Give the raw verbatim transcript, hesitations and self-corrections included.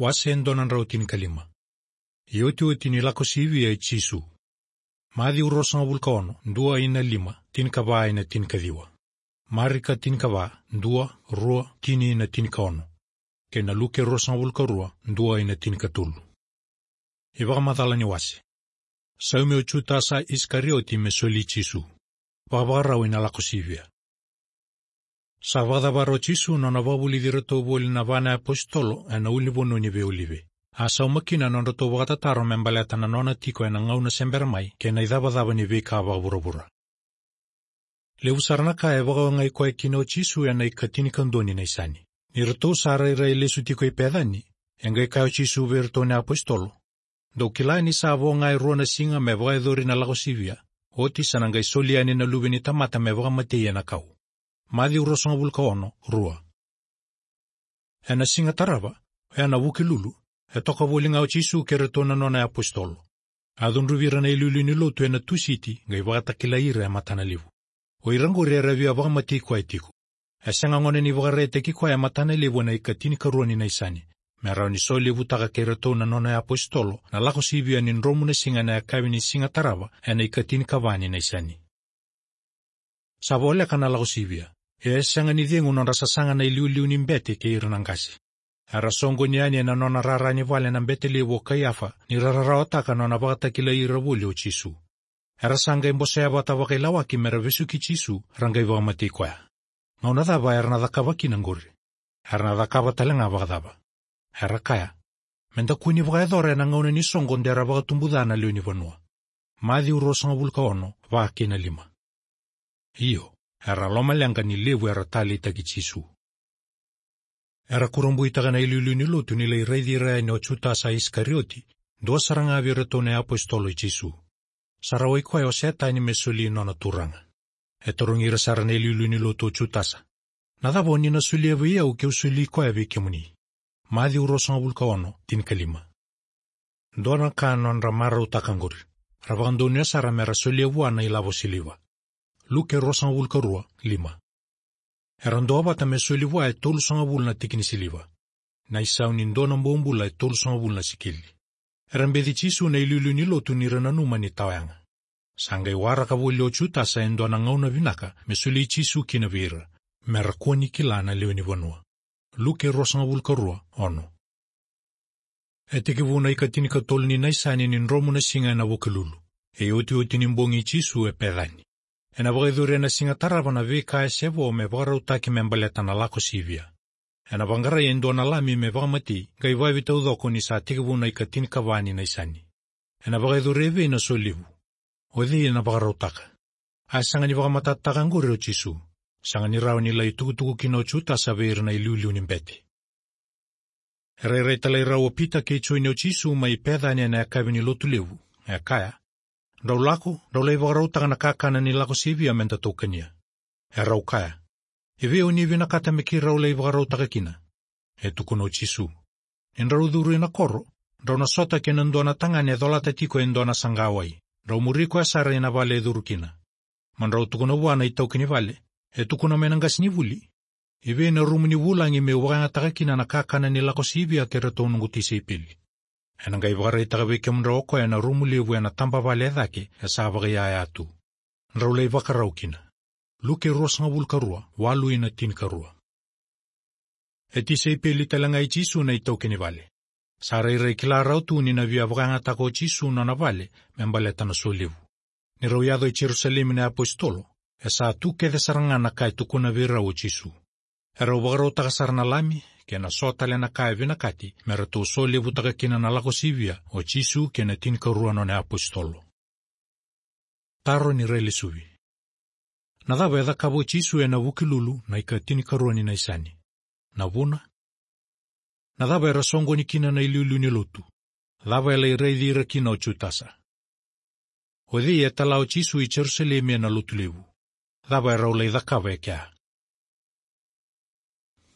Wase e dua na drau tinikalima. Iotioti ni lako sivia i Jisu. Maciu ruasagavulu ka ono, dua ina lima, tinikava ina tinikaciwa. Marika tinikava, dua, rua, tini ina tinikaono. Kei na Luke ruasagavulu ka rua, dua ina tinikatolu. iVakamacala ni wase. Saumi o Jutasa Isikarioti me soli Jisu. Vakavakarau ina lako sivia. Sa vakacavara o Jisu na nona vakavulici iratou voli na va na apositolo ena ulunivanua ni veiolive. A sauma kina na nodratou vakatataro me baleta na nona tiko ena gauna se bera mai kei na icavacava ni veika vakavuravura. Levu sara na ka e vakaogai koya kina o Jisu ena ikatinikadua ni Naisani. Ni ratou sa rairai lesu tiko i Pecani, e qai kaya o Jisu vei iratou na apositolo: Dou kila ni sa vo ga e rua na siga me vakayacori na lako sivia, oti sa na qai soli yani na Luve ni tamata me vakamatei ena kau. Maciu ruasagavulu ka ono, rua. Ena siga tarava, ena Vukelulu, e toka voli ga o Jisu kei iratou na nona apositolo. A cudruvi ira na iliuliu ni lotu ena Tusiti, qai vakatakilai ira e matana levu. O ira qori era via vakamatei koya tiko. E sega gona ni vakaraitaki koya e matana levu ena ikatinikarua ni Naisani, me rawa ni solevutaka kei iratou na nona apositolo na lako sivia ni dromu na siga ena yakavi ni siga tarava ena ikatinikava ni Naisani. Sa voleka na lako sivia, ia e sega ni cegu nodra sasaga na iliuliu ni bete kei ira na qase. Era soqoni yani ena nona rara ni vale na bete levu o Kaiafa, ni ra rarawataka na nona vakatakilai ira voli o Jisu. Era sa qai bosea vata vakailawaki mera vesuki Jisu, ra qai vakamatei koya. Gauna cava era na cakava kina qori? Era na cakava tale ga vakacava? Era kaya: Meda kua ni vakayacora ena gauna ni soqo de ra vakatubu ca na lewe ni vanua. Maciu ruasagavulu ka ono, va kei na lima. Io, era lomaleqa ni levu era taleitaki Jisu. Era kurabuitaka na iliuliu ni lotu ni lai raici ira yani o Jutasa Isikarioti, dua sara ga vei iratou na apositolo i Jisu. Sa rawai koya o Setani me soli nona Turaga. E tarogi ira sara na iliuliu ni lotu o Jutasa: Na cava o ni na solia vei au keu soli koya vei kemuni? Maciu ruasagavulu ka ono, tinikalima. Dua na ka nodra marautaka qori. Ra vakadonuya sara mera solia vua na ilavo siliva. Luke ruasagavulu ka rua, lima. Era duavata me soli vua e tolusagavulu na tiki ni siliva, na isau ni dua na bobula e tolusagavulu na sikeli. Era beci Jisu na iliuliu ni lotu ni ra nanuma ni tawayaga. Sa qai waraka voli o Jutasa e dua na gauna vinaka me soli Jisu kina vei ira, mera kua ni kila na lewe ni vanua. Luke ruasagavulu ka rua, ono. E tekivu na ikatinikatolu ni Naisani ni dromu na siga ena Vukelulu. E iotioti ni bogi i Jisu e Pecani. Ena vakayacori ena siga tarava na veika e se vo me vakarautaki me baleta na lako sivia. Ena vaqarai e dua na lami me vakamatei, qai vakaevei taucoko ni sa tekivu na ikatinikava ni Naisani? Ena vakayacori e vei na solevu? O cei ena vakarautaka? A sega ni vakamatatataka qori o Jisu. Sega ni rawa ni lai tukutuku kina o Jutasa vei ira na iliuliu ni bete. E rairai talai rau o Pita kei Joni o Jisu mai Pecani ena yakavi ni lotu levu, e kaya: Drau lako, drau lai vakarautaka na kakana ni lako sivia meda taukania. Erau kaya: Evei o ni vinakata me keirau lai vakarautaka kina? E tukuna o Jisu: Ni drau curu ina koro, drau na sota kei na dua na tagane e colata tiko e dua na saqa wai. Drau muri koya sara ina vale e curu kina. Mo drau tukuna vua na itaukei ni vale: E tukuna mai na qasenivuli: Evei na rumu ni vulagi meu vakayagataka kina na kakana ni lako sivia kei iratou noqu tisaipeli? Ena qai vakaraitaka vei kemudrau o koya na rumu levu ena taba vale e cake, e sa vakaiyaya tu. Drau lai vakarau kina. Luke ruasagavulu ka rua, walu ina tinikarua. E tisaipeli tale ga i Jisu na itaukei ni vale. Sa rairai kila rau tu ni na via vakayagataka o Jisu nona vale me baleta na solevu. Ni rau yaco i Jerusalemi na apositolo, e sa tu kece sara ga na ka e tukuna vei rau o Jisu. Erau vakarautaka sara na lami, kei na so tale na ka e vinakati me ratou solevutaka kina na lako sivia o Jisu kei na tinikarua nona apositolo. Taro ni railesuvi. Na cava e cakava o Jisu ena Vukelulu na ikatinikarua ni Naisani? Na vuna? Na cava era soqoni kina na iliuliu ni lotu? Cava e lai raici ira kina o Jutasa? O cei e tala o Jisu i Jerusalemi ena lotu levu? Cava erau lai cakava e kea?